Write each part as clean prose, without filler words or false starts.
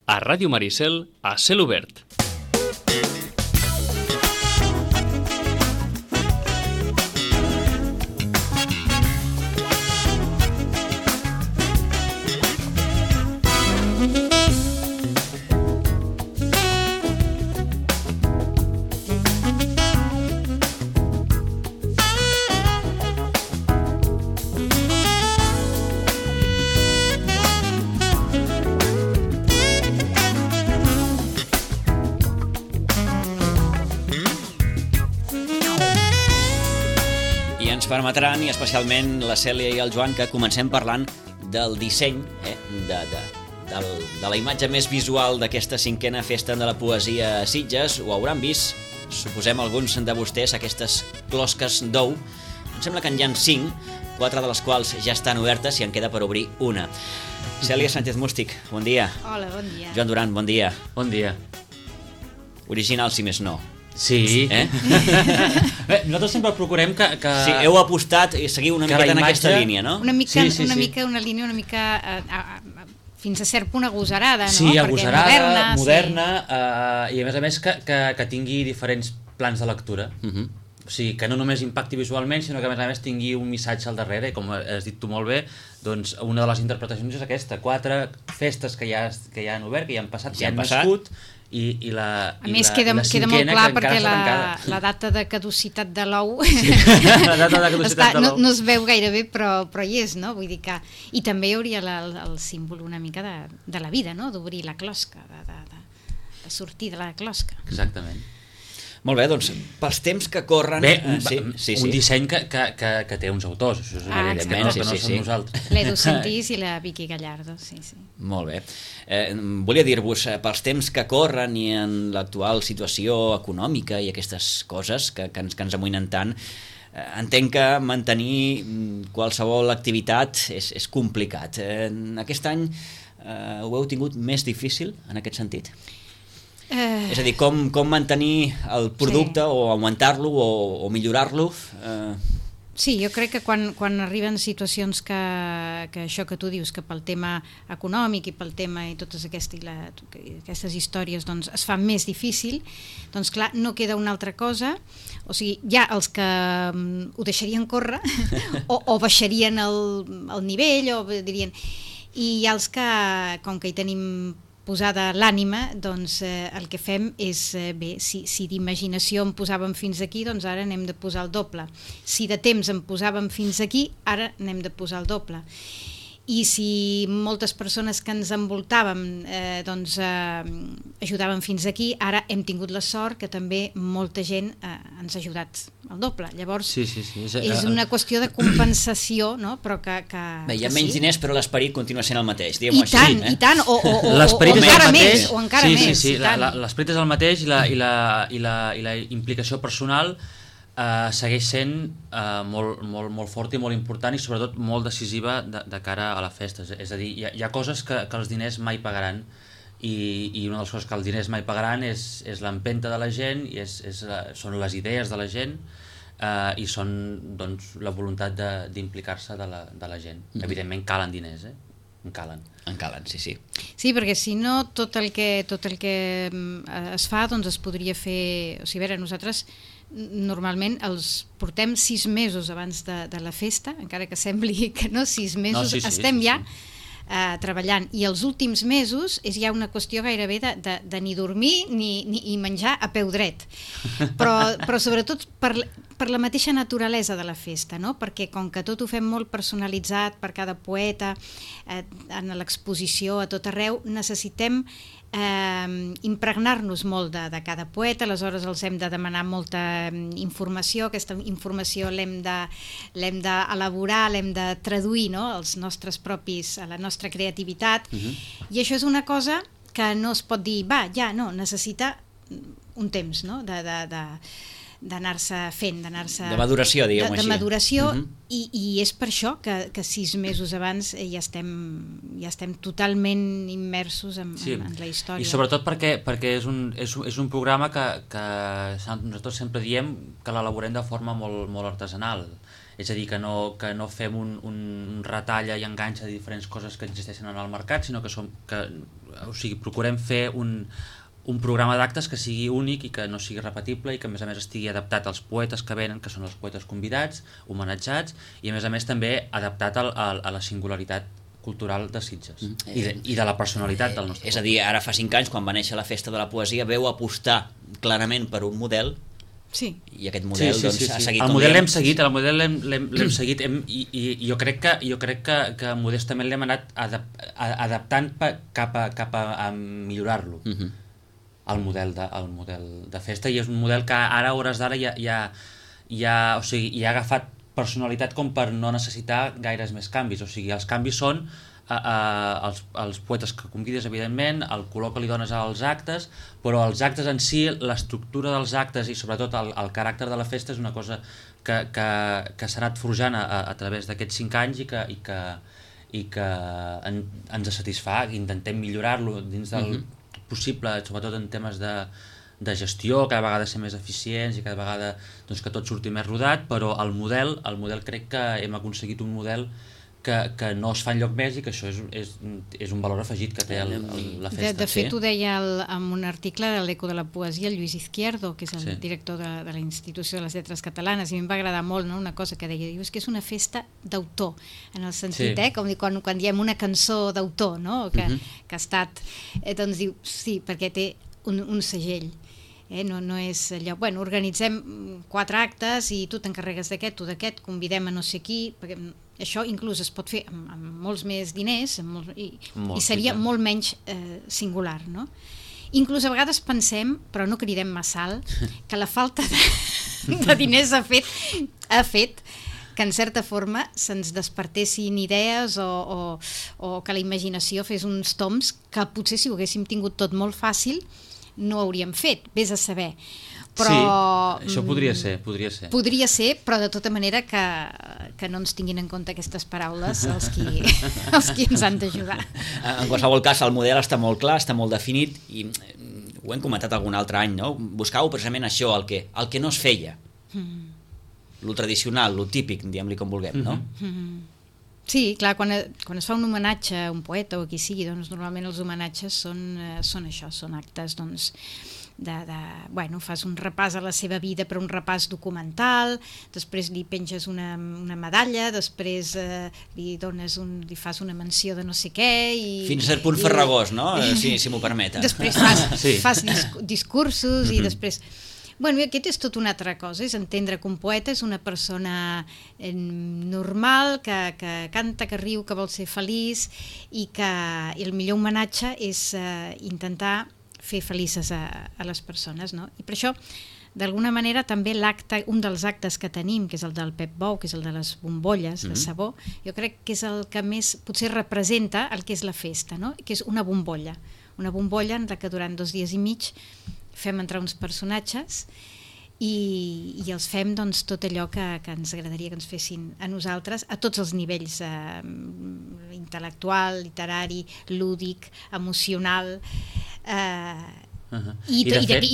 a Ràdio Maricel, a Cel Obert. Permetran, i especialment la Cèlia i el Joan, que comencem parlant del disseny, de la imatge més visual d'aquesta 5a festa de la poesia a Sitges. Ho hauran vist, suposem alguns de vostès, aquestes closques d'ou. Em sembla que en hi ha 5, 4 de les quals ja estan obertes i en queda per obrir una. Cèlia Sánchez Mústic, bon dia. Hola, bon dia. Joan Duran, bon dia. Bon dia. Original, si més no. Sí. Bé, nosaltres sempre procurem que... Sí, heu apostat i seguiu una miqueta en aquesta línia, no? Una línia una mica fins a cert punt agosarada, no? Sí, agosarada, moderna, i a més que tingui diferents plans de lectura. O sigui, que no només impacti visualment, sinó que a més tingui un missatge al darrere, i com has dit tu molt bé, doncs una de les interpretacions és aquesta: 4 festes que ja han obert, que ja han passat, que ja han nascut, i la a més queda molt clar perquè la data de caducitat de l'ou no es veu gaire bé, però hi és, no? Vull dir que... I també hi hauria el símbol una mica de la vida, no? D'obrir la closca, de sortir de la closca. Exactament. Molt bé, doncs, pels temps que corren... Bé, un disseny que té uns autors, això és evidentment, que no som nosaltres. L'Edu Sentís i la Vicky Gallardo, sí. Molt bé. Volia dir-vos, pels temps que corren i en l'actual situació econòmica i aquestes coses que ens amoïnen tant, entenc que mantenir qualsevol activitat és complicat. Aquest any ho heu tingut més difícil en aquest sentit? És a dir, com mantenir el producte o augmentar-lo o millorar-lo? Sí, jo crec que quan arriben situacions que això que tu dius, que pel tema econòmic i pel tema i totes aquestes històries doncs es fa més difícil, doncs clar, no queda una altra cosa. O sigui, hi ha els que ho deixarien córrer o baixarien el nivell, o dirien... I hi ha els que, com que hi tenim posada l'ànima, doncs el que fem és, bé, si d'imaginació en posàvem fins aquí, doncs ara n'hem de posar el doble. Si de temps en posàvem fins aquí, ara n'hem de posar el doble. I si moltes persones que ens envoltàvem ajudaven fins aquí, ara hem tingut la sort que també molta gent ens ha ajudat el doble. Llavors, és una qüestió de compensació, no? Però que bé, hi ha menys diners, però l'esperit continua sent el mateix, diguem-ho així. I tant, o encara més. Sí, l'esperit és el mateix i la implicació personal segueix sent molt forta i molt important, i sobretot molt decisiva de cara a la festa. És a dir, hi ha coses que els diners mai pagaran, i una de les coses que els diners mai pagaran és l'empenta de la gent, i són les idees de la gent, i són doncs la voluntat d'implicar-se de la gent. Evidentment calen diners, en calen, sí. Sí, perquè si no tot el que es fa doncs es podria fer... O sigui, a veure, nosaltres normalment els portem 6 mesos abans de la festa, encara que sembli que no, 6 mesos estem ja treballant, i els últims mesos és ja una qüestió gairebé de ni dormir ni menjar a peu dret, però sobretot per la mateixa naturalesa de la festa, no? Perquè com que tot ho fem molt personalitzat per cada poeta, en l'exposició a tot arreu, necessitem impregnar-nos molt de cada poeta. Aleshores els hem de demanar molta informació. Aquesta informació l'hem d'elaborar, l'hem de traduir, no? A la nostra creativitat, i això és una cosa que no es pot dir necessita un temps, no? D'anar-se fent, de maduració, diguem-ho així. De maduració, i és per això que 6 mesos abans ja estem totalment immersos en la història. I sobretot perquè és un programa que nosaltres sempre diem que l'elaborem de forma molt artesanal. és a dir, que no fem un retalla i enganxa de diferents coses que existeixen en el mercat, sinó que procurem fer un programa d'actes que sigui únic i que no sigui repetible i que a més estigui adaptat als poetes que venen, que són els poetes convidats, homenatjats, i a més també adaptat a la singularitat cultural de Sitges i de la personalitat del nostre poble. És a dir, ara fa 5 anys, quan va néixer la Festa de la Poesia, veu apostar clarament per un model. Sí. I aquest model ha seguit el model l'hem seguit i jo crec que modestament l'hem anat adaptant cap a millorar-lo, el model de festa, i és un model que ara a hores d'ara ja ha agafat personalitat com per no necessitar gaires més canvis. O sigui, els canvis són els poetes que convides, evidentment, el color que li dones als actes, però els actes en si, l'estructura dels actes i sobretot el caràcter de la festa és una cosa que s'ha anat forjant a través d'aquests 5 anys i que ens satisfà. Intentem millorar-lo dins del possible, sobretot en temes de gestió, cada vegada ser més eficients i cada vegada que tot surti més rodat, però el model crec que hem aconseguit un model que no es fa enlloc més i que això és un valor afegit que té la festa. De fet, ho deia en un article de l'Eco de la Poesia el Lluís Izquierdo, que és el director de la Institució de les Lletres Catalanes, i a mi em va agradar molt una cosa que deia, és que és una festa d'autor, en el sentit, com quan diem una cançó d'autor, que ha estat, doncs diu, sí, perquè té un segell. No és allò, organitzem 4 actes i tu t'encarregues d'aquest o d'aquest, convidem a no sé qui, perquè això inclús es pot fer amb molts més diners i seria molt menys singular, no? Inclús a vegades pensem, però no cridem massa alt, que la falta de diners ha fet que en certa forma se'ns despertessin idees o que la imaginació fes uns toms que potser si ho haguéssim tingut tot molt fàcil no hauríem fet, vés a saber. Però, sí, això podria ser. Podria ser, però de tota manera que no ens tinguin en compte aquestes paraules els qui ens han d'ajudar. En qualsevol cas, el model està molt clar, està molt definit, i ho hem comentat algun altre any, no? Buscàveu precisament això, el que no es feia. Lo tradicional, lo típic, diguem-li com vulguem, no? Sí, clar, quan es fa un homenatge a un poeta o a qui sigui, doncs normalment els homenatges són això, són actes fas un repàs a la seva vida, però un repàs documental, després li penges una medalla, després li fas una menció de no sé què fins a cert punt farragós, no? Si m'ho permeten. Després fas discursos i després... Aquest és tot una altra cosa, és entendre que un poeta és una persona normal, que canta, que riu, que vol ser feliç, i que el millor homenatge és intentar fer felices a les persones, no? I per això, d'alguna manera, també un dels actes que tenim, que és el del Pep Bou, que és el de les bombolles de sabó, jo crec que és el que més potser representa el que és la festa, no? Que és una bombolla en la que durant 2 dies i mig fem entrar uns personatges i els fem tot allò que ens agradaria que ens fessin a nosaltres a tots els nivells, intel·lectual, literari, lúdic, emocional, i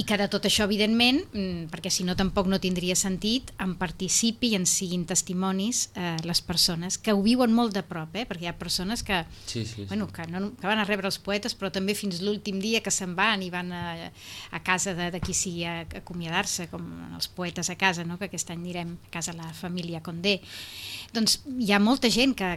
que de tot això, evidentment, perquè si no tampoc no tindria sentit, en participi i en siguin testimonis les persones que ho viuen molt de prop, perquè hi ha persones que van a rebre els poetes, però també fins l'últim dia que se'n van i van a casa de qui sigui a acomiadar-se, com els poetes a casa, que aquest any anirem a casa la família Condé. Doncs hi ha molta gent que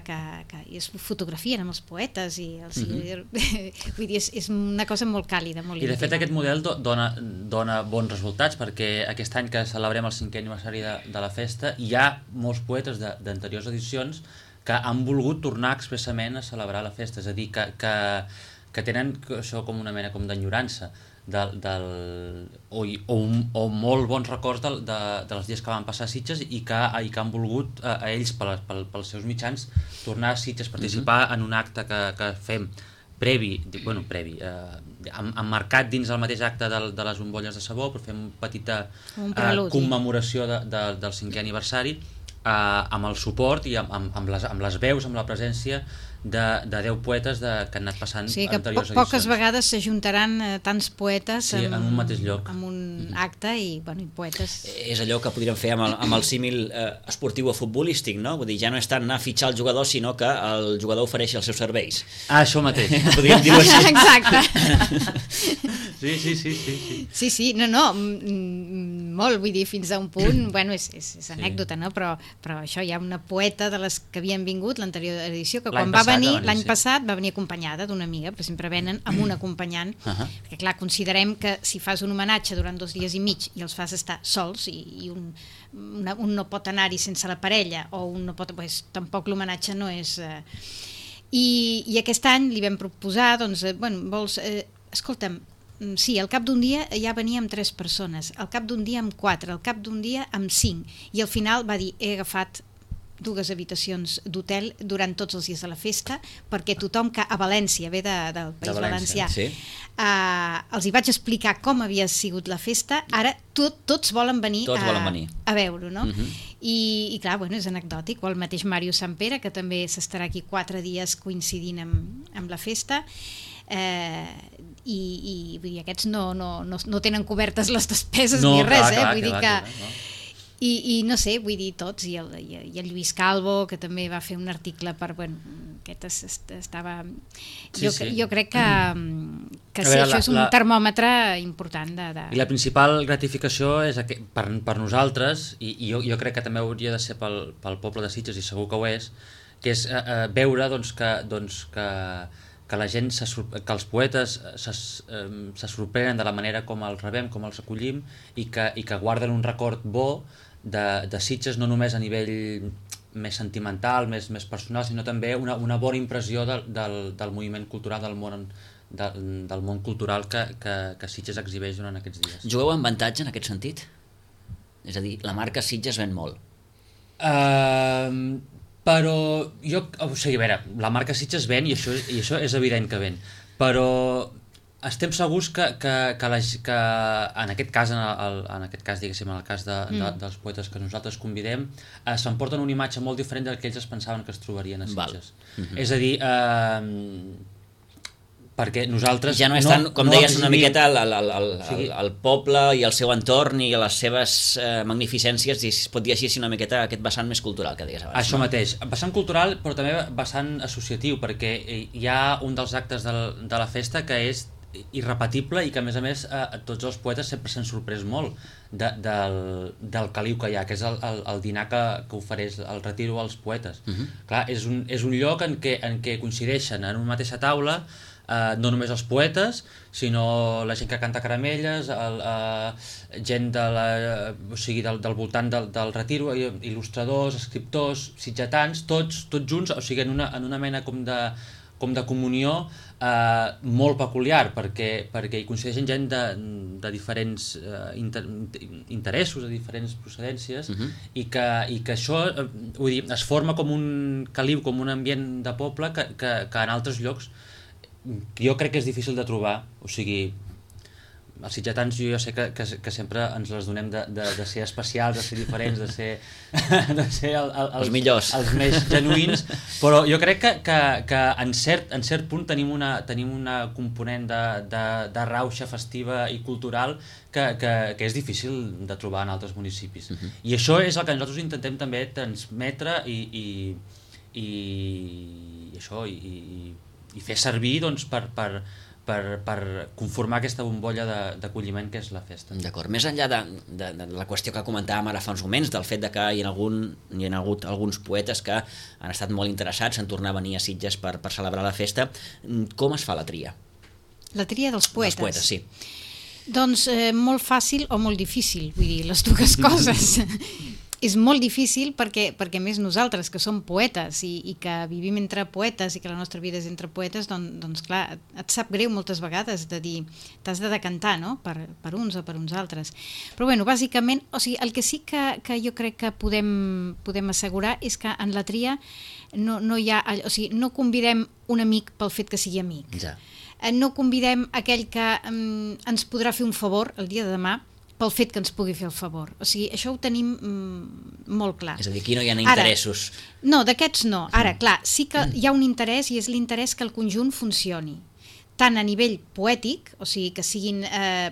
es fotografien amb els poetes i vull dir, és una cosa molt càlida, molt íntima. I de fet aquest model dona bons resultats, perquè aquest any que celebrem el 5è aniversari de la festa hi ha molts poetes d'anteriors edicions que han volgut tornar expressament a celebrar la festa, és a dir, que tenen això com una mena d'enyorança o molt bons records dels dies que van passar a Sitges i que han volgut a ells pels seus mitjans tornar a Sitges, participar en un acte que fem emmarcat dins el mateix acte de les bombolles de sabó, però fem una petita commemoració del 5è aniversari amb el suport i amb les veus, amb la presència de 10 poetes que han anat passant anteriors edicions. Poques vegades s'ajuntaran tants poetes en un mateix lloc, en un acte i poetes. És allò que podríem fer amb el símil esportiu o futbolístic, no? Vull dir, ja no és tant anar a fitxar el jugador, sinó que el jugador ofereixi els seus serveis. Això mateix. Podríem dir-ho així. Exacte. Sí, molt, vull dir, fins a un punt, és anècdota, no? Però això, hi ha una poeta de les que havien vingut l'anterior edició, que quan va venir l'any passat va venir acompanyada d'una amiga, perquè sempre venen amb un acompanyant, perquè clar, considerem que si fas un homenatge durant 2 dies i mig i els fas estar sols i un no pot anar-hi sense la parella, o un no pot, tampoc l'homenatge no és... I aquest any li vam proposar, doncs, vols... escolta'm, sí, al cap d'un dia ja venia amb 3 persones, al cap d'un dia amb 4, al cap d'un dia amb 5, i al final va dir, he agafat 2 habitacions d'hotel durant tots els dies de la festa, perquè tothom que a València ve del País Valencià, sí. Els hi vaig explicar com havia sigut la festa, ara tots volen venir a veure-ho, no? I clar, és anecdòtic, o el mateix Màrius Sampere, que també s'estarà aquí 4 dies coincidint amb la festa, i vull dir, aquests no tenen cobertes les despeses ni res, vull dir que... I no sé, vull dir tots, i el Lluís Calvo, que també va fer un article per... aquest estava... Jo crec que sí, això és un termòmetre important de... I la principal gratificació és per nosaltres, i jo crec que també hauria de ser pel poble de Sitges, i segur que ho és, que és veure que la gent, que els poetes se sorprenen de la manera com els rebem, com els acollim, i que guarden un record bo de Sitges, no només a nivell més sentimental, més personal, sinó també una bona impressió del moviment cultural, del món cultural que Sitges exhibeix durant aquests dies. Jugueu amb avantatge en aquest sentit? És a dir, la marca Sitges ven molt. Però a veure, la marca Sitges ven, i això és evident que ven, però estem segurs que en aquest cas, diguéssim, en el cas dels poetes que nosaltres convidem, s'emporten una imatge molt diferent del que ells es pensaven que es trobarien a Sitges. És a dir, perquè nosaltres... Ja no és tant, com deies, una miqueta el poble i el seu entorn i les seves magnificències, i es pot dir així, una miqueta aquest vessant més cultural que deies abans. Això mateix, vessant cultural, però també vessant associatiu, perquè hi ha un dels actes de la festa que és irrepetible i que a més tots els poetes sempre s'han sorprès molt del caliu que hi ha, que és el dinar que ofereix el Retiro als poetes. Clar, és un lloc en què coincideixen en una mateixa taula no només els poetes, sinó la gent que canta caramelles, gent del voltant del Retiro, il·lustradors, escriptors, sitgetans, tots junts, o sigui, en una mena com de comunió molt peculiar, perquè hi coincideixen gent de diferents interessos, de diferents procedències, i que això, vull dir, es forma com un caliu, com un ambient de poble que en altres llocs jo crec que és difícil de trobar. O sigui, els sitgetans jo sé que sempre ens les donem de ser especials, de ser diferents, de ser els millors, els més genuïns, però jo crec que en cert punt tenim una component de rauxa festiva i cultural que és difícil de trobar en altres municipis. I això és el que nosaltres intentem també transmetre i fer servir, doncs, per conformar aquesta bombolla d'acolliment que és la festa. D'acord. Més enllà de la qüestió que comentàvem ara fa uns moments, del fet de que hi ha hagut alguns poetes que han estat molt interessats en tornar a venir a Sitges per celebrar la festa, com es fa la tria? La tria dels poetes? Dels poetes, sí. Doncs molt fàcil o molt difícil, vull dir, les dues coses. És molt difícil perquè més nosaltres, que som poetes i que vivim entre poetes i que la nostra vida és entre poetes, doncs clar, et sap greu moltes vegades de dir, t'has de decantar, no?, per uns o per uns altres. Però bueno, bàsicament, o sigui, el que sí que jo crec que podem assegurar és que en la tria no hi ha, o sigui, no convidem un amic pel fet que sigui amic. Ja. No convidem aquell que ens podrà fer un favor el dia de demà pel fet que ens pugui fer el favor. O sigui, això ho tenim molt clar. És a dir, aquí no hi ha interessos. No, d'aquests no. Ara, clar, sí que hi ha un interès, i és l'interès que el conjunt funcioni. Tant a nivell poètic, o sigui, que siguin,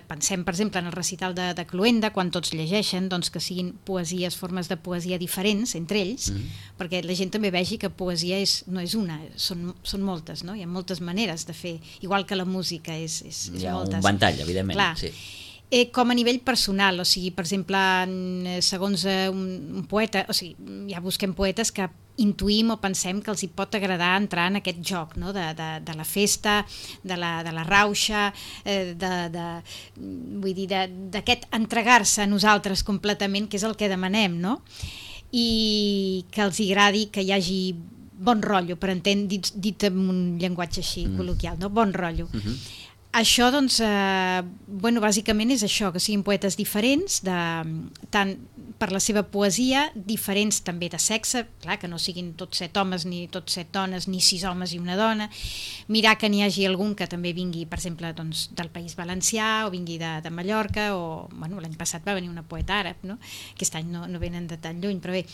pensem, per exemple, en el recital de Cluenda, quan tots llegeixen, doncs que siguin poesies, formes de poesia diferents entre ells, perquè la gent també vegi que poesia no és una, són moltes, no? Hi ha moltes maneres de fer, igual que la música és moltes. Hi ha un ventall, evidentment. Clar. Sí. Com a nivell personal, o sigui, per exemple, segons un poeta, o sigui, ja busquem poetes que intuïm o pensem que els hi pot agradar entrar en aquest joc, no? de la festa, de la rauxa, vull dir, d'aquest entregar-se a nosaltres completament, que és el que demanem, no? I que els agradi que hi hagi bon rotllo, per entendre, dit en un llenguatge així col·loquial, no? Bon rotllo. Això, doncs, bàsicament és això, que siguin poetes diferents, tant per la seva poesia, diferents també de sexe, clar, que no siguin tots 7 homes ni tots 7 dones, ni 6 homes i una dona, mirar que n'hi hagi algun que també vingui, per exemple, doncs, del País Valencià, o vingui de Mallorca, o l'any passat va venir una poeta àrab, no? Aquest any no venen de tan lluny, però bé,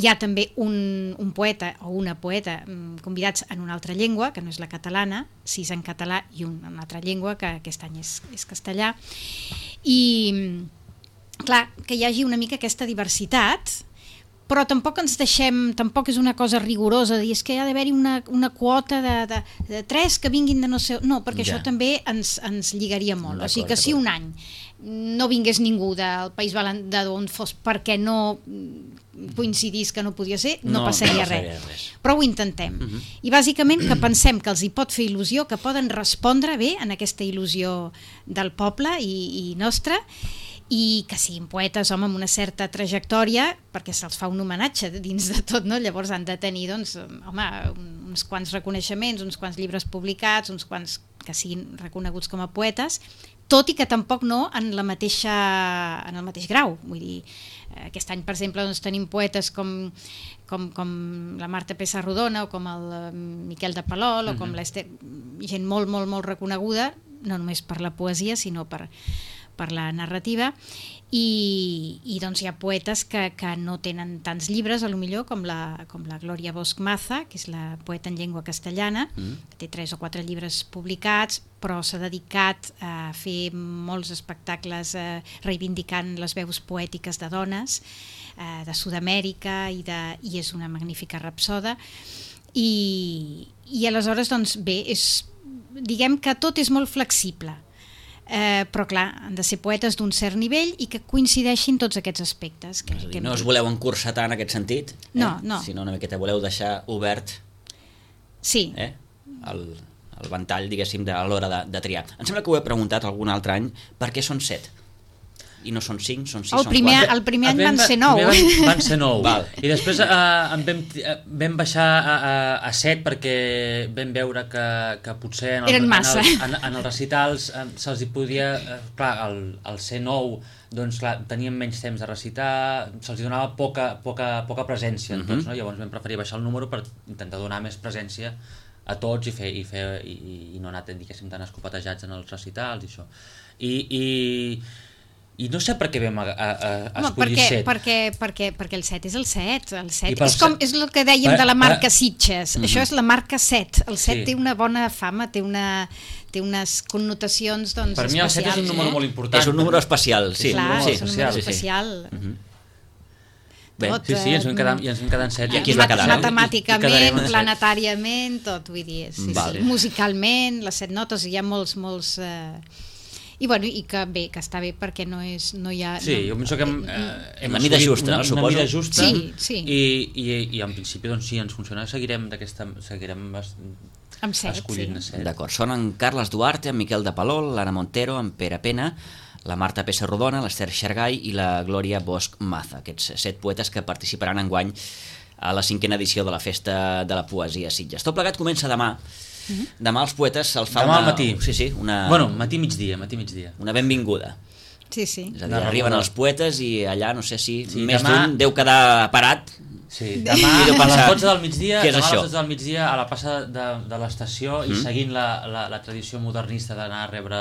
hi ha també un poeta o una poeta convidats en una altra llengua, que no és la catalana, 6 en català i una altra llengua, que aquest any és castellà. I, clar, que hi hagi una mica aquesta diversitat, però tampoc ens deixem, tampoc és una cosa rigorosa, dir és que ha d'haver-hi una quota de 3 que vinguin de no sé... No, perquè això també ens lligaria molt. O sigui que si un any no vingués ningú del País d'on fos perquè no coincidís que no podia ser, no passaria res. Però ho intentem. I bàsicament que pensem que els hi pot fer il·lusió, que poden respondre bé en aquesta il·lusió del poble i nostra, i que siguin poetes, home, amb una certa trajectòria, perquè se'ls fa un homenatge dins de tot, no? Llavors han de tenir, doncs, home, uns quants reconeixements, uns quants llibres publicats, uns quants que siguin reconeguts com a poetes, tot i que tampoc no en el mateix grau. Vull dir, aquest any, per exemple, doncs, tenim poetes com la Marta Pessarrodona o com el Miquel de Palol o com l'Ester, gent molt, molt, molt reconeguda, no només per la poesia, sinó per la narrativa, i doncs hi ha poetes que no tenen tants llibres, a lo millor, com la Glòria Bosch Maza, que és la poeta en llengua castellana, que té 3 o 4 llibres publicats, però s'ha dedicat a fer molts espectacles reivindicant les veus poètiques de dones de Sud-amèrica, i és una magnífica rapsoda, i aleshores, doncs bé, diguem que tot és molt flexible, però clar, han de ser poetes d'un cert nivell i que coincideixin tots aquests aspectes. No us voleu encursetar en aquest sentit? No. Sinó una miqueta voleu deixar obert el ventall, diguéssim, a l'hora de triar. Em sembla que ho he preguntat algun altre any, per què són 7? I no són 5, són 6, són 4? El primer any van ser 9. Van ser 9. I després vam baixar a 7 perquè vam veure que potser en els recitals se'ls hi podia... Clar, al ser 9, doncs clar, tenien menys temps de recitar, se'ls hi donava poca presència en tots, no? Llavors vam preferir baixar el número per intentar donar més presència a tots i no anar, diguéssim, tan escopatejats en els recitals i això. I no sé per què vam escollir 7. Perquè el 7 és el 7. El 7 és el que dèiem de la marca Sitges. Això és la marca 7. El 7 té una bona fama, té unes connotacions especials. Per mi el 7 és un número molt important. És un número especial, sí. Clar, és un número especial. Sí, ens vam quedar en 7. I aquí es va quedar. Matemàticament, planetàriament, tot, vull dir, musicalment, les 7 notes, hi ha molts... I que bé, que està bé perquè no hi ha... Sí, jo penso que hem una mida justa, no, suposo. Una mida justa, sí. I en principi, doncs sí, ens funciona, seguirem escollint 7. D'acord, són en Carles Duarte, en Miquel de Palol, l'Anna Montero, en Pere Pena, la Marta Pessarrodona, l'Ester Xargai i la Glòria Bosch Maza, aquests 7 poetes que participaran enguany a la 5a edició de la Festa de la Poesia Sitges. Tot plegat comença demà. Demà els poetes se'ls fa demà al matí. Matí-migdia. Una benvinguda. Sí. És a dir, arriben els poetes i allà, no sé si més d'un deu quedar parat. Sí, demà a les 12 del migdia, a la plaça de l'estació, i seguint la tradició modernista d'anar a rebre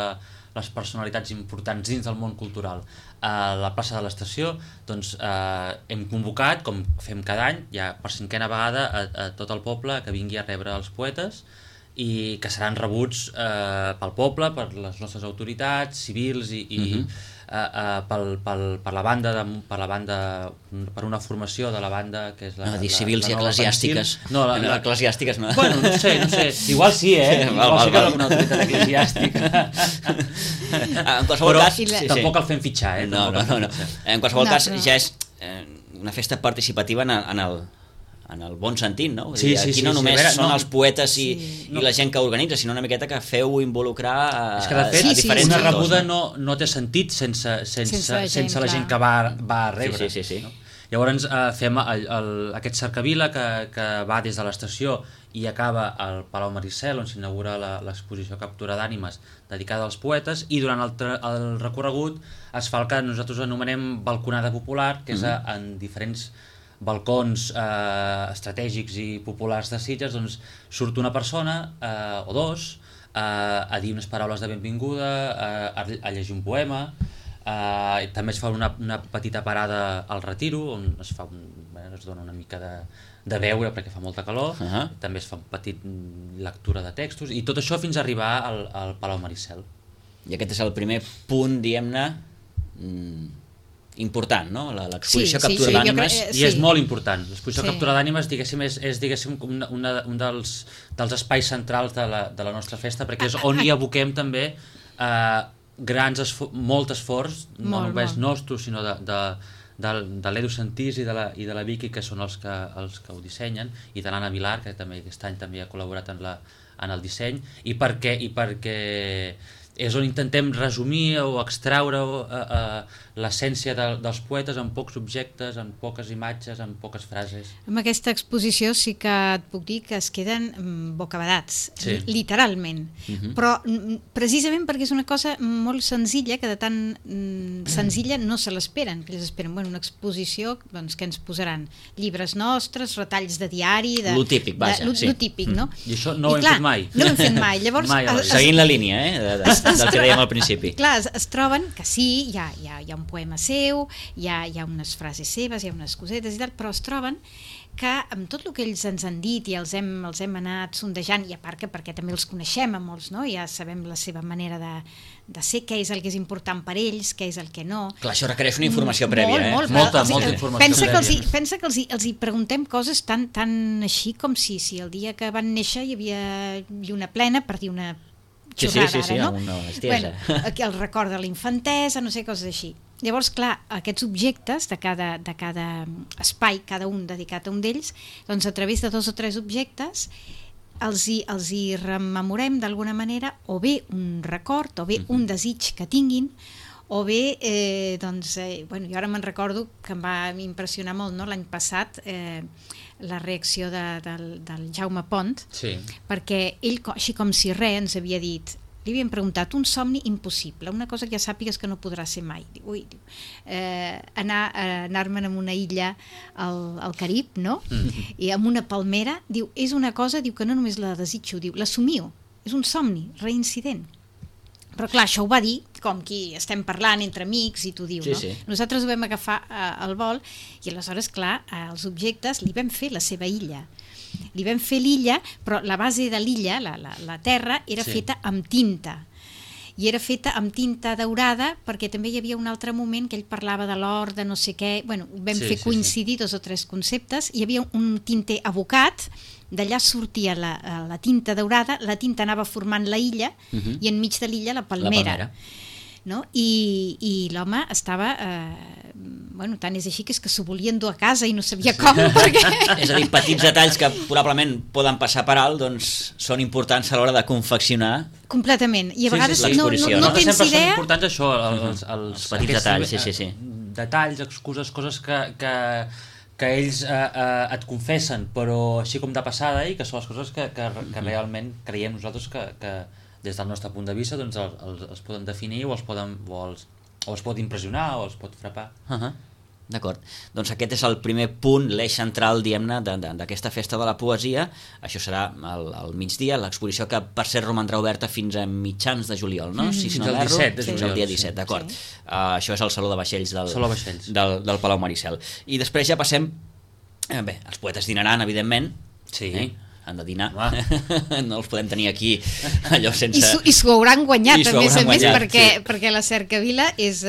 les personalitats importants dins del món cultural a la plaça de l'Estació, doncs hem convocat, com fem cada any, ja per 5a vegada, a tot el poble que vingui a rebre els poetes i que seran rebuts pel poble, per les nostres autoritats civils i per la banda, per una formació de la banda que és la... No, dir civils i eclesiàstiques. No, eclesiàstiques no. Bueno, no sé. Igual sí, igual sí que alguna autoritat eclesiàstica. En qualsevol cas... Tampoc el fem fitxar, No. En qualsevol cas ja és una festa participativa en el bon sentit, no? Aquí no només són els poetes i la gent que organitza, sinó una miqueta que feu involucrar a diferents sectors. Una rebuda no té sentit sense la gent que va a rebre. Sí. No? Llavors fem aquest cercavila que va des de l'estació i acaba al Palau Maricel, on s'inaugura l'exposició Captura d'Ànimes dedicada als poetes, i durant el recorregut es fa el que nosaltres anomenem balconada popular, que és en diferents balcons estratègics i populars de Sitges, doncs surt una persona o dos a dir unes paraules de benvinguda, a llegir un poema, també es fa una petita parada al Retiro, on es dona una mica de beure perquè fa molta calor, també es fa una petita lectura de textos, i tot això fins a arribar al Palau Maricel. I aquest és el primer punt, diguem-ne, important, no? L'exposició Captura d'Ànimes. I és molt important. L'exposició Captura d'Ànimes, diguéssim, és un dels espais centrals de la nostra festa, perquè és on hi aboquem també molt esforç, no només nostre, sinó de l'Edu Santís i de la Vicky, que són els que ho dissenyen, i de l'Anna Vilar, que també aquest any també ha col·laborat en el disseny, i perquè és on intentem resumir o extraure l'essència dels poetes en pocs objectes, en poques imatges, en poques frases. Amb aquesta exposició sí que et puc dir que es queden bocabadats, literalment. Però precisament perquè és una cosa molt senzilla, que de tan senzilla no se l'esperen, que ells esperen una exposició, doncs, que ens posaran llibres nostres, retalls de diari... Lo típic, vaja. Lo típic, no? I això no ho hem fet mai. No ho hem fet mai. Llavors, seguint la línia, del que dèiem al principi. Clar, es troben que sí, hi ha un poema seu, hi ha unes frases seves, hi ha unes cosetes i tal, però es troben que amb tot el que ells ens han dit i els hem anat sondejant, i a part que perquè també els coneixem a molts, no? Ja sabem la seva manera de ser, què és el que és important per ells, què és el que no. Clar, això requereix una informació prèvia, Molta informació prèvia. Pensa que els hi preguntem coses tan així com si el dia que van néixer hi havia lluna plena, per dir una xorrada, no? Una bestiesa. Aquí el record de la infantesa, no sé, coses així. Llavors, clar, aquests objectes de cada espai, cada un dedicat a un d'ells, doncs a través de 2 o 3 objectes els hi rememorem d'alguna manera, o bé un record, o bé un desig que tinguin, o bé, jo ara me'n recordo que em va impressionar molt, no? L'any passat, la reacció del Jaume Pont, perquè ell, així com si res, ens havia dit, li havien preguntat un somni impossible, una cosa que ja sàpigues que no podrà ser mai. Anar-me'n a una illa al Carib, no? I amb una palmera, diu, és una cosa, diu, que no només la desitjo, diu, l'assumio, és un somni reincident. Però clar, això ho va dir com qui estem parlant entre amics i t'ho diu, no? Nosaltres ho vam agafar al vol i aleshores, clar, els objectes li vam fer la seva illa. Li vam fer l'illa, però la base de l'illa, la terra, era feta amb tinta. I era feta amb tinta daurada perquè també hi havia un altre moment que ell parlava de l'or, de no sé què. Bueno, vam fer coincidir 2 o 3 conceptes. Hi havia un tinter abocat, d'allà sortia la tinta daurada, la tinta anava formant la illa i enmig de l'illa la palmera. No? I l'home estava... tant és així que és que s'ho volien dur a casa i no sabia com, perquè... És a dir, petits detalls que probablement poden passar per alt, doncs són importants a l'hora de confeccionar. Completament. I a vegades no tens idea... Sempre són importants això, els petits detalls, detalls, excuses, coses que ells et confessen, però així com de passada, i que són les coses que realment creiem nosaltres que des del nostre punt de vista doncs els poden definir o els pot impressionar o els pot frapar. D'acord, doncs aquest és el primer punt, l'eix central, diguem-ne, d'aquesta festa de la poesia. Això serà al migdia, l'exposició que per cert romandrà oberta fins a mitjans de juliol, no? Si Fins no al 17 de fins juliol. al dia 17, d'acord. Això és el Saló de Vaixells del Palau Maricel. I després ja passem... Bé, els poetes dinaran, evidentment. Sí. Han de dinar. No els podem tenir aquí allò sense... I s'ho hauran guanyat, a més a més, guanyat, perquè la cercavila és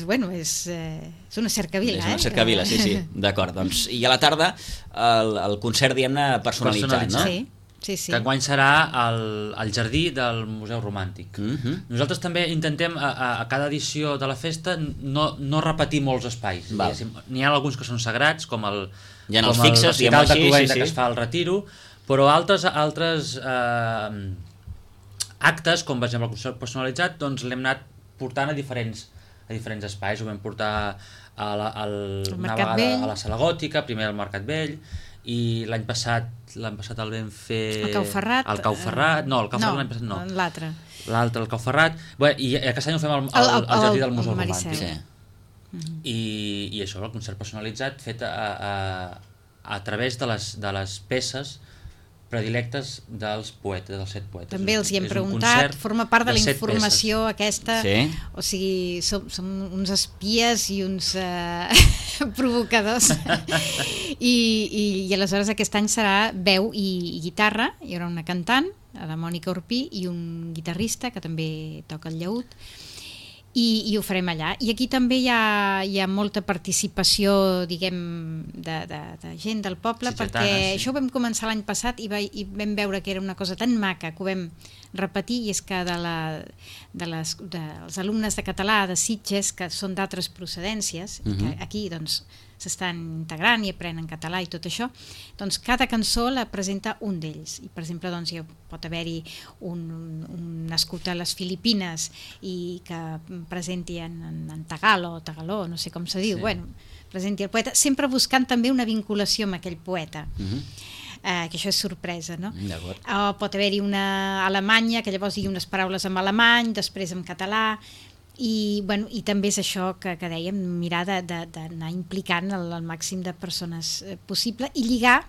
una cercavila. És una cercavila, sí, d'acord. Doncs, i a la tarda el concert, diguem-ne, personalitzat, no? Sí. Que enguany serà al jardí del Museu Romàntic. Nosaltres també intentem a cada edició de la festa no repetir molts espais. N'hi ha alguns que són sagrats, com el recital de Cluenda que es fa al Retiro, però altres actes, com per exemple el concert personalitzat, doncs l'hem anat portant a diferents espais. Ho vam portar una vegada a la Sala Gòtica, primer al Mercat Vell, i l'any passat el vam fer... El Cau Ferrat? L'any passat no. L'altre, el Cau Ferrat. I aquest any ho fem al jardí del Museu Romàntic. I això, el concert personalitzat fet a través de les peces predilectes dels poetes, dels 7 poetes. També els hi hem preguntat, forma part de la informació aquesta, o sigui, som uns espies i uns provocadors. I aleshores aquest any serà veu i guitarra, hi haurà una cantant, la Mònica Orpí, i un guitarrista que també toca el llaüt, i ho farem allà. I aquí també hi ha molta participació, diguem, de gent del poble, perquè això ho vam començar l'any passat i vam veure que era una cosa tan maca que ho vam repetir, i és que dels alumnes de català de Sitges, que són d'altres procedències, que aquí doncs s'estan integrant i aprenen català i tot això, doncs cada cançó la presenta un d'ells. I per exemple, doncs, pot haver-hi un nascut a les Filipines i que presenti en tagaló, no sé com se diu, presenti el poeta, sempre buscant també una vinculació amb aquell poeta. Que això és sorpresa, no? Pot haver-hi una alemanya que llavors digui unes paraules en alemany, després en català, i també és això que dèiem, mirar d'anar implicant el màxim de persones possible i lligar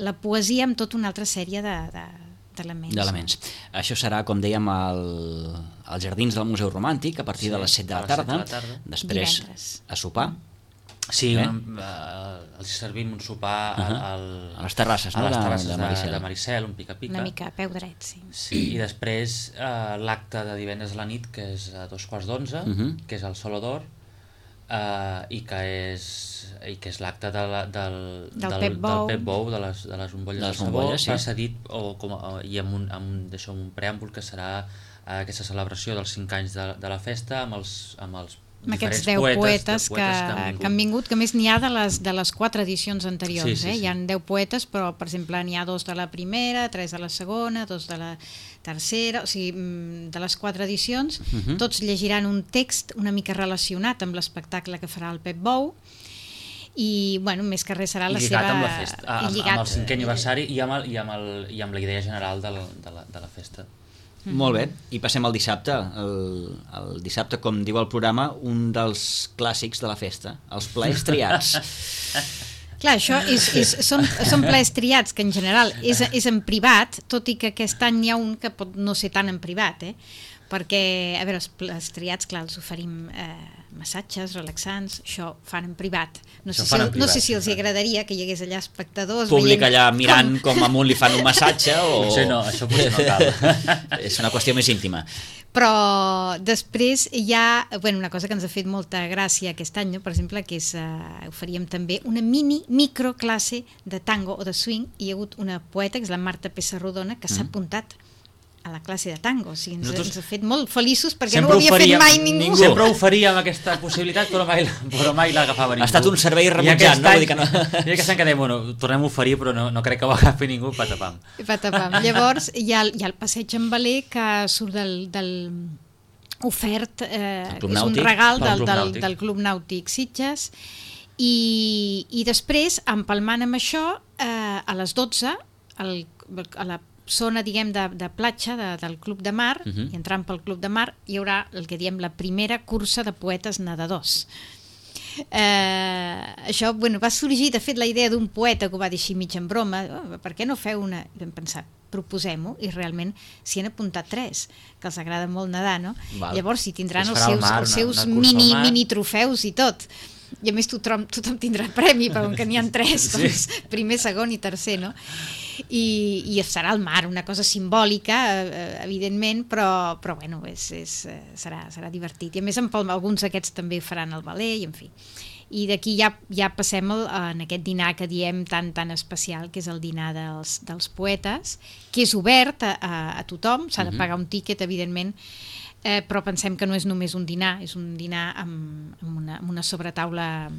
la poesia amb tota una altra sèrie d'elements. Això serà, com dèiem, als jardins del Museu Romàntic a partir de les 7 de la tarda, després a sopar. Sí, els servim un sopar a les terrasses de Maricel, un pica-pica. Una mica a peu dret, sí. I després l'acte de divendres a la nit, que és a 2:15, que és al Solo d'Or, i que és l'acte del Pep Bou, de les bombolles de sabó, precedit i amb un preàmbul que serà aquesta celebració dels 5 anys de la festa amb aquests 10 poetes que han vingut, que més n'hi ha de les 4 edicions anteriors. Hi ha 10 poetes, però per exemple n'hi ha 2 de la primera, 3 de la segona, 2 de la tercera, o sigui, de les 4 edicions, tots llegiran un text una mica relacionat amb l'espectacle que farà el Pep Bou, i més que res serà la seva... Lligat amb la festa, amb el 5è aniversari i amb la idea general de la festa. Molt bé, i passem al dissabte. El dissabte, com diu el programa, un dels clàssics de la festa, els plaers triats. Clar, això són plaers triats, que en general és en privat, tot i que aquest any n'hi ha un que pot no ser tan en privat, perquè, a veure, els plaers triats, clar, els oferim massatges relaxants, això fan en privat. No sé si els agradaria que hi hagués allà espectadors públic allà mirant com amunt li fan un massatge o... Això potser no cal. És una qüestió més íntima. Però després hi ha una cosa que ens ha fet molta gràcia aquest any, per exemple, que és oferíem també una microclasse de tango o de swing, i hi ha hagut una poeta, que és la Marta Pessarrodona, que s'ha apuntat a la classe de tango. O sigui, ens ha fet molt feliços perquè no ho havia fet mai ningú. Sempre oferíem aquesta possibilitat, però mai l'agafava ningú. Ha estat un servei rebutjat, no? I aquest any que dèiem, tornem a oferir, però no crec que ho agafi ningú, patapam. Llavors hi ha el passeig en veler que surt del ofert, és un regal del Club Nàutic Sitges, i després, empalmant amb això, a les 12, a la zona, diguem, de platja del Club de Mar, i entrant pel Club de Mar hi haurà el que diem la primera cursa de poetes nedadors. Això, bueno, va sorgir, de fet, la idea d'un poeta que ho va dir així mig en broma, per què no feu una... I vam pensar, proposem-ho, i realment s'hi han apuntat 3, que els agrada molt nedar, no? Val. Llavors, si tindran Es els farà seus una cursa al mar. mini trofeus i tot. I a més tothom tindrà premi, però que n'hi ha 3, doncs, primer, segon i tercer, no? I serà al mar, una cosa simbòlica, evidentment, però bueno, serà divertit. I a més, alguns d'aquests també faran el ballet, i en fi. I d'aquí ja passem en aquest dinar que diem tan especial, que és el dinar dels poetes, que és obert a tothom, s'ha de pagar un tíquet, evidentment, però pensem que no és només un dinar, és un dinar amb una sobretaula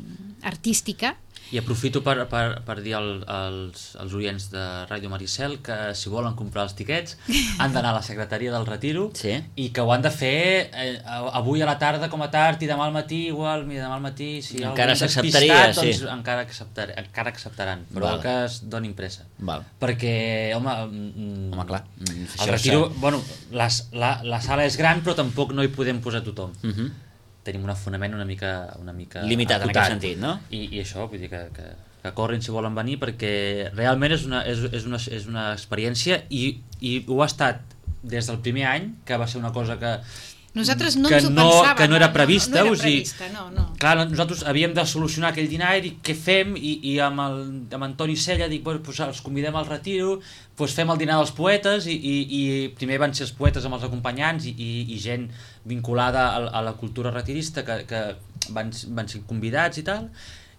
artística. I aprofito per dir als oients de Ràdio Maricel que si volen comprar els tiquets han d'anar a la secretaria del Retiro, sí, i que ho han de fer avui a la tarda com a tard i demà al matí igual, mira, demà al matí si encara s'acceptaria, sí, doncs encara acceptaran, però que es donin pressa. Val. Perquè home, clar, el Retiro, bueno, la sala és gran però tampoc no hi podem posar tothom. Tenim un afonament una mica limitat en aquest sentit, no? I això, vull dir que corrin si volen venir, perquè realment és una experiència i ho ha estat des del primer any, que va ser una cosa que nosaltres no ens ho pensàvem, que no era prevista, no era prevista, no. Clar, nosaltres havíem de solucionar aquell dinar i què fem, i amb Antoni Sella dic, bueno, doncs els convidem al Retiro, doncs fem el dinar dels poetes, i primer van ser els poetes amb els acompanyants i gent vinculada a la cultura retirista que van ser convidats i tal,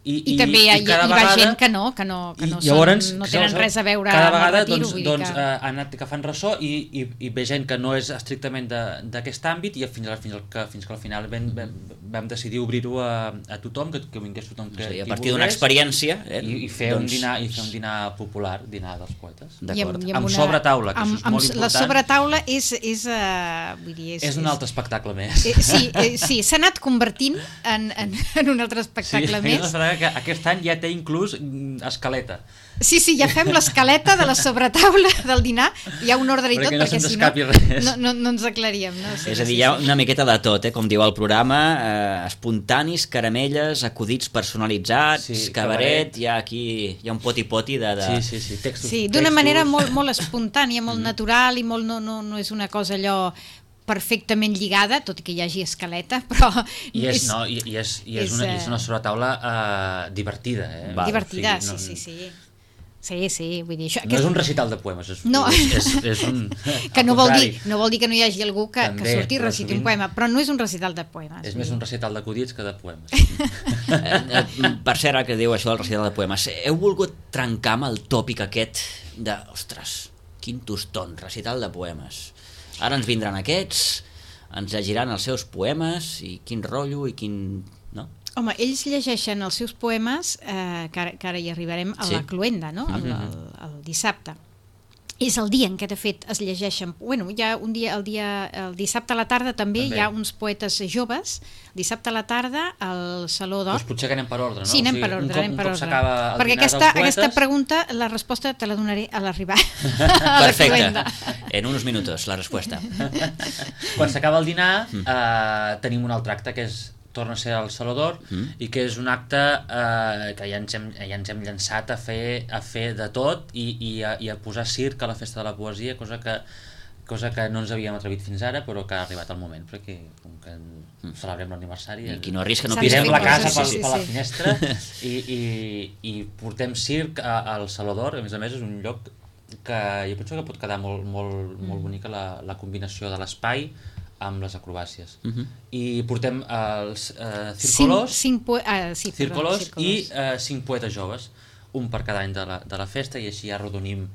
i també hi va gent que no tenen res a veure cada amb el vegada Retiro, han anat agafant ressò i ve gent que no és estrictament d'aquest àmbit, i fins que al final vam decidir obrir-ho a tothom, que vingués tothom que a partir d'una experiència i fer un dinar popular, dinar dels poetes, amb sobretaula, que això és molt important. La sobretaula és un altre espectacle més. Sí, s'ha anat convertint en un altre espectacle més. Que aquest any ja té inclús escaleta. Sí, ja fem l'escaleta de la sobretaula del dinar, hi ha un ordre i tot, perquè si no ens aclaríem. No? Sí, és a dir, hi ha una miqueta de tot, com diu el programa, espontanis, caramelles, acudits personalitzats, cabaret, hi ha un poti-poti de... Sí, textos. Sí, d'una manera molt espontània, molt natural, i molt no és una cosa allò perfectament lligada, tot i que hi hagi escaleta, però... I és una sobretaula divertida. Divertida, sí. Sí, vull dir... No és un recital de poemes, és un... Que no vol dir que no hi hagi algú que surti i reciti un poema, però no és un recital de poemes. És més un recital d'acudits que de poemes. Per cert, ara que diu això del recital de poemes, heu volgut trencar amb el tòpic aquest de, ostres, quin toston, recital de poemes. Ara ens vindran aquests, ens llegiran els seus poemes, i quin rotllo, i quin... no? Home, ells llegeixen els seus poemes, que ara hi arribarem, a la cloenda, no? El dissabte. És el dia en què, de fet, es llegeixen... Bueno, hi ha un dia, el dissabte a la tarda també hi ha uns poetes joves, dissabte a la tarda al Saló d'Or. Doncs potser que anem per ordre, no? Sí, anem per ordre. Perquè aquesta pregunta, la resposta te la donaré a l'arribar. Perfecte. En uns minuts, la resposta. Quan s'acaba el dinar, tenim un altre acte, que torna a ser al Saló d'Or, i que és un acte que ja ens hem llançat a fer de tot i a posar circ a la Festa de la Poesia, cosa que no ens havíem atrevit fins ara, però que ha arribat el moment, perquè com que celebrem l'aniversari i qui no arrisca no tirem la casa per la finestra i portem circ al Saló d'Or. A més és un lloc que jo penso que pot quedar molt bonica la combinació de l'espai amb les acrobàcies. I portem els Círcolos i 5 poetes joves, un per cada any de la festa, i així ja arrodonim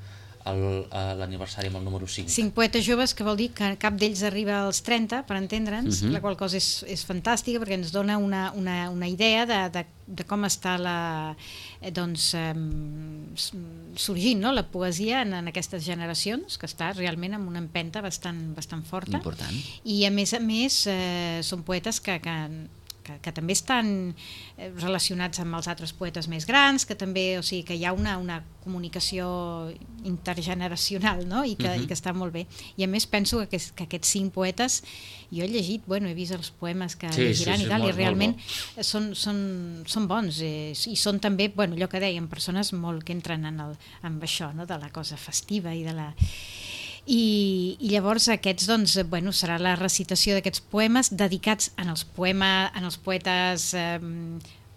l'aniversari amb el número 5. 5 poetes joves, que vol dir que cap d'ells arriba als 30, per entendre'ns, la qual cosa és fantàstica, perquè ens dona una idea de com està sorgint, no? La poesia en aquestes generacions, que està realment amb una empenta bastant forta. Important. I a més són poetes que que també estan relacionats amb els altres poetes més grans, que també, o sigui, que hi ha una comunicació intergeneracional, no? I que està molt bé. I a més penso que aquests 5 poetes, jo he llegit, he vist els poemes que llegiran i tal, i realment són bons, i són també, allò que dèiem, persones molt que entren amb això, no? De la cosa festiva i de la... I llavors aquests, serà la recitació d'aquests poemes dedicats en els poetes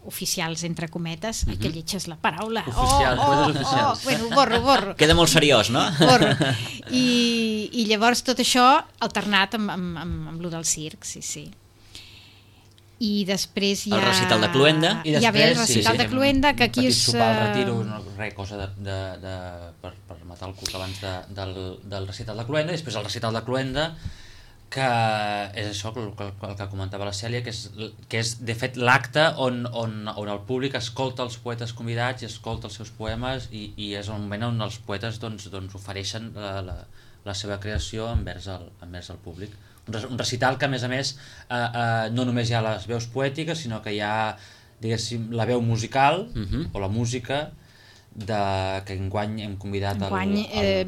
oficials, entre cometes, que lletges la paraula. Poetes oficials. Bueno, borro. Queda molt seriós, no? Borro. I llavors tot això alternat amb lo del circ, sí. I després hi ha... El recital de Cluenda. Hi ha el recital de Cluenda, que aquí és... Un petit sopar al retiro, cosa per matar el cuc abans del recital de Cluenda, i després el recital de Cluenda, que és això el que comentava la Cèlia, que és de fet l'acte on el públic escolta els poetes convidats i escolta els seus poemes, i és el moment on els poetes ofereixen la seva creació envers el públic. Un recital que, a més, no només hi ha les veus poètiques, sinó que hi ha, diguéssim, la veu musical o la música que enguany hem convidat el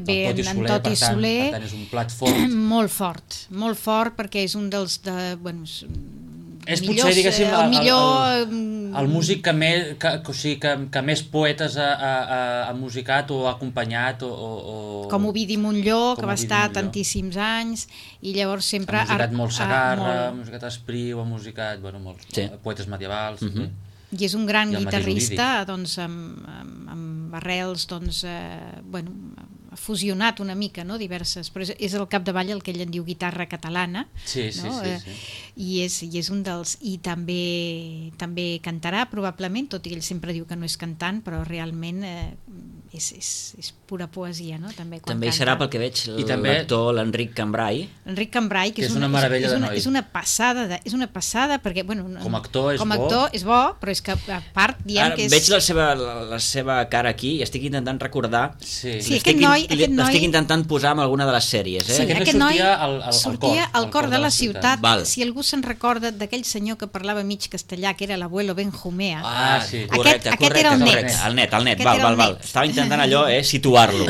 Toti Soler, per tant és un plat fort. Molt fort, perquè és un dels és potser, diguéssim, el músic que més poetes ha musicat o ha acompanyat com Ovidi Montllor, que va estar tantíssims anys, i llavors sempre ha musicat molt Segarra, ha musicat Espriu, ha musicat molts poetes medievals. I és un gran guitarrista, amb arrels, ha fusionat una mica, no? Diverses, però és al capdavall el que ell en diu guitarra catalana. Sí. I és un dels... I també cantarà, probablement, tot i que ell sempre diu que no és cantant, però realment és pura poesia, no? També hi serà, pel que veig, l'actor l'Enric Cambrai. L'Enric Cambrai, que és una meravella de noi. És una passada, perquè... Com a actor és bo, però és que a part diem que és... Veig la seva cara aquí i estic intentant recordar... Sí, aquest noi... L'estic intentant posar en alguna de les sèries. Sí, aquest noi sortia al cor de la ciutat. Si algú se'n recorda d'aquell senyor que parlava mig castellà, que era l'abuelo Benjumea. Sí, correcte. Aquest era el net. Val. Estava intentant allò, situar-lo.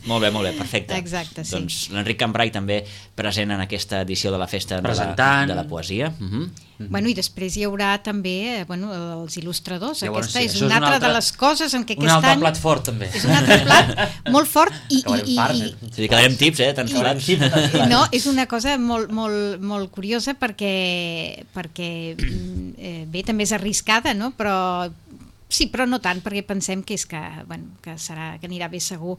Molt bé, perfecte. Exacte, sí. Doncs l'Enric Cambrai també present en aquesta edició de la Festa de la Poesia. I després hi haurà també els il·lustradors. Aquesta és una altra de les coses en què aquest any... Un altre plat fort, també. És un altre plat molt fort i... Quedarem tips, tants plats. No, és una cosa molt curiosa perquè bé, també és arriscada, no? Sí, però no tant, perquè pensem que que anirà bé segur.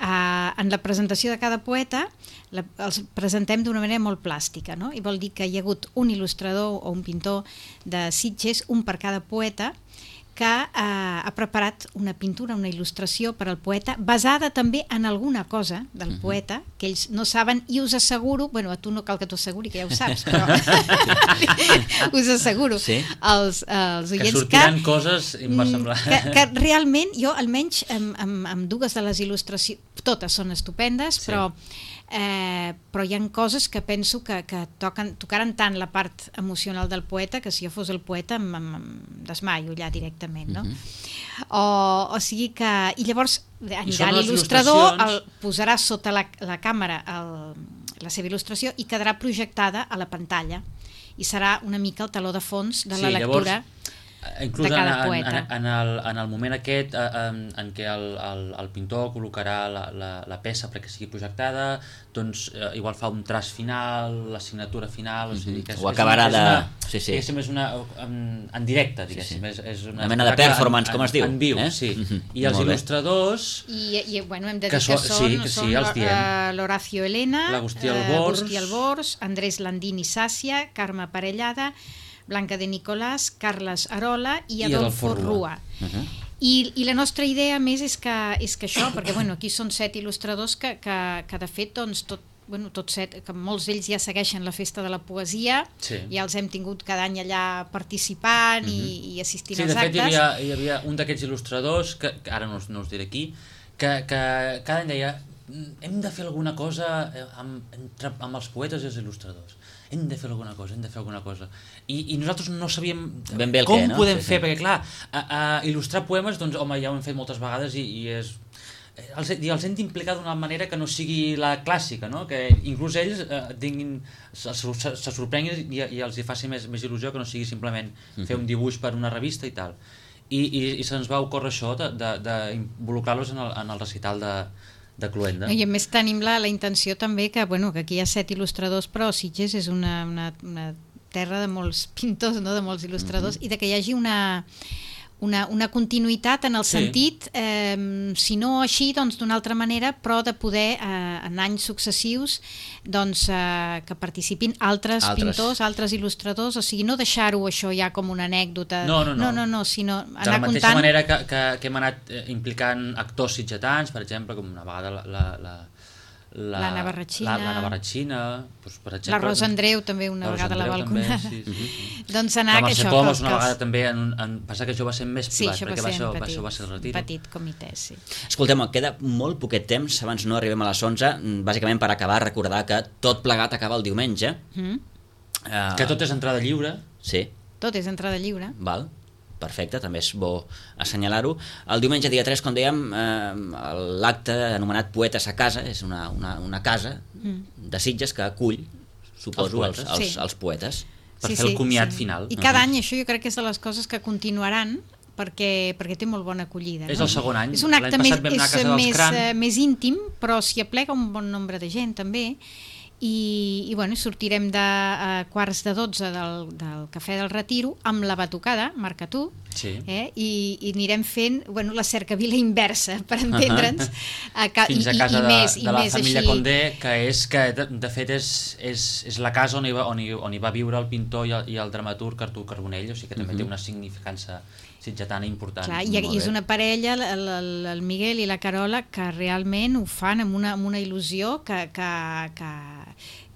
En la presentació de cada poeta els presentem d'una manera molt plàstica, no? I vol dir que hi ha hagut un il·lustrador o un pintor de Sitges, un per cada poeta, que ha preparat una pintura, una il·lustració per al poeta, basada també en alguna cosa del poeta, que ells no saben, i us asseguro, a tu no cal que t'ho asseguri, que ja ho saps, però us asseguro, els oients que sortiran coses inversemblants. Que realment, jo almenys amb dues de les il·lustracions, totes són estupendes, però hi ha coses que penso que tocaran tant la part emocional del poeta que si jo fos el poeta em desmaio allà directament, no? O sigui que... I llavors anirà l'il·lustrador, posarà sota la càmera la seva il·lustració i quedarà projectada a la pantalla i serà una mica el taló de fons de la lectura inclús de cada poeta. En el moment aquest en què el pintor col·locarà la peça perquè sigui projectada, doncs igual fa un traç final, la signatura final, ho acabarà de... Diguéssim, és en directe, diguéssim. És una mena de performance, com es diu. En viu, sí. I els il·lustradors... I hem de dir que són l'Horacio Elena, l'Agustí Albors, Andrés Landini Sàcia, Carme Parellada, Blanca de Nicolàs, Carles Arola i Adolfo Rua. I la nostra idea més és que això, perquè aquí són 7 il·lustradors que de fet tots 7, que molts d'ells ja segueixen la Festa de la Poesia, ja els hem tingut cada any allà participant i assistint als actes. Sí, de fet hi havia un d'aquests il·lustradors, que ara no us diré qui, que cada any deia hem de fer alguna cosa amb els poetes i els il·lustradors. hem de fer alguna cosa. I nosaltres no sabíem ben bé com podem fer, perquè clar, il·lustrar poemes, doncs home, ja ho hem fet moltes vegades i és... els hem d'implicar d'una manera que no sigui la clàssica, no? Que inclús ells se sorprenguin i els hi faci més il·lusió que no sigui simplement fer un dibuix per una revista i tal. I se'ns va ocórrer això d'involucrar-los en el recital de Cluenda. I a més tenim la intenció també que aquí hi ha 7 il·lustradors, però Sitges és una terra de molts pintors, no? De molts il·lustradors, i de que hi hagi una continuïtat en el sentit, si no així, doncs d'una altra manera, però de poder en anys successius doncs que participin altres pintors, altres il·lustradors, o sigui, no deixar-ho això ja com una anècdota, no, sinó anar de la mateixa comptant... manera que hem anat implicant actors sitgetans, per exemple, com una vegada la Navarratxina, doncs, per exemple, la Rosa Andreu també una vegada la Balcona, doncs anar la Mercè això, Comas una vegada també passa que això va ser més privat, perquè això va ser el retiro, petit comitè, sí. Escolteu, queda molt poquet temps, abans no arribem a les 11, bàsicament per acabar, recordar que tot plegat acaba el diumenge, que tot és entrada lliure. Sí, tot és entrada lliure, val, perfecte, també és bo assenyalar-ho. El diumenge dia 3, com dèiem, l'acte anomenat Poetes a Casa, és una casa de Sitges que acull, suposo, els poetes. Per fer el comiat final. I cada any això jo crec que és de les coses que continuaran, perquè té molt bona acollida. És el segon any. És un acte més íntim, però s'hi aplega un bon nombre de gent també, i sortirem de quarts de 12 del Cafè del Retiro amb la batucada, marca tu, i anirem fent la cercavila inversa, per entendre'ns, fins a casa de la família Condé, que de fet és la casa on hi va viure el pintor i el dramaturg Artur Carbonell, o sigui que també té una significança sitgetana important. Clar, i és una parella, el Miguel i la Carola, que realment ho fan amb una il·lusió que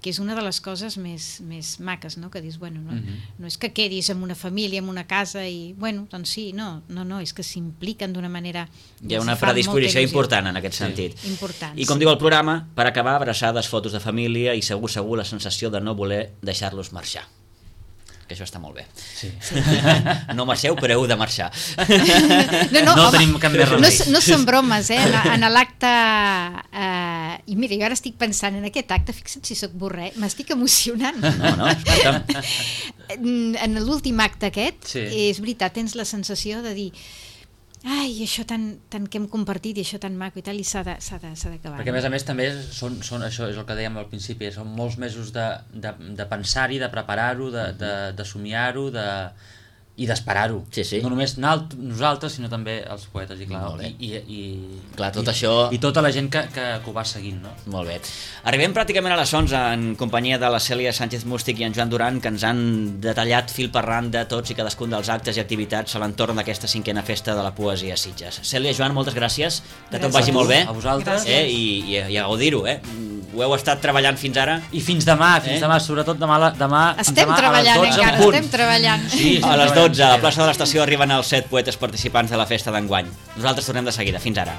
és una de les coses més maques, no? Que dius, no és que quedis amb una família, amb una casa i, doncs sí, no, és que s'impliquen d'una manera... Hi ha una predisposició important en aquest sentit. Important. I com diu el programa, per acabar, abraçades, fotos de família i segur la sensació de no voler deixar-los marxar. Que això està molt bé. Sí. No marxeu, però heu de marxar. No tenim cap més remei. No són bromes, en l'acte... I mira, jo ara estic pensant en aquest acte, fixa't si soc borré, m'estic emocionant. No, escolta'm. En l'últim acte aquest, és veritat, tens la sensació de dir ai, això tant que hem compartit i això tan maco i tal, i s'ha d'acabar. Perquè a més també són això és el que dèiem al principi, són molts mesos de pensar-hi, de preparar-ho, de somiar-ho, i d'esperar-ho. Sí. No només nosaltres, sinó també els poetes, i clar, clar, tot això... i tota la gent que ho va seguint, no? Molt bé. Arribem pràcticament a les 11 en companyia de la Cèlia Sánchez Mústic i en Joan Duran, que ens han detallat fil per randa tots i cadascun dels actes i activitats a l'entorn d'aquesta 5a festa de la poesia a Sitges. Cèlia, Joan, moltes gràcies, que tot vagi molt bé. A vosaltres. I a gaudir-ho, Ho heu estat treballant fins ara? I fins demà, sobretot demà estem treballant encara, estem treballant. Sí, a les 12, a la plaça de l'estació arriben els 7 poetes participants de la festa d'enguany. Nosaltres tornem de seguida. Fins ara.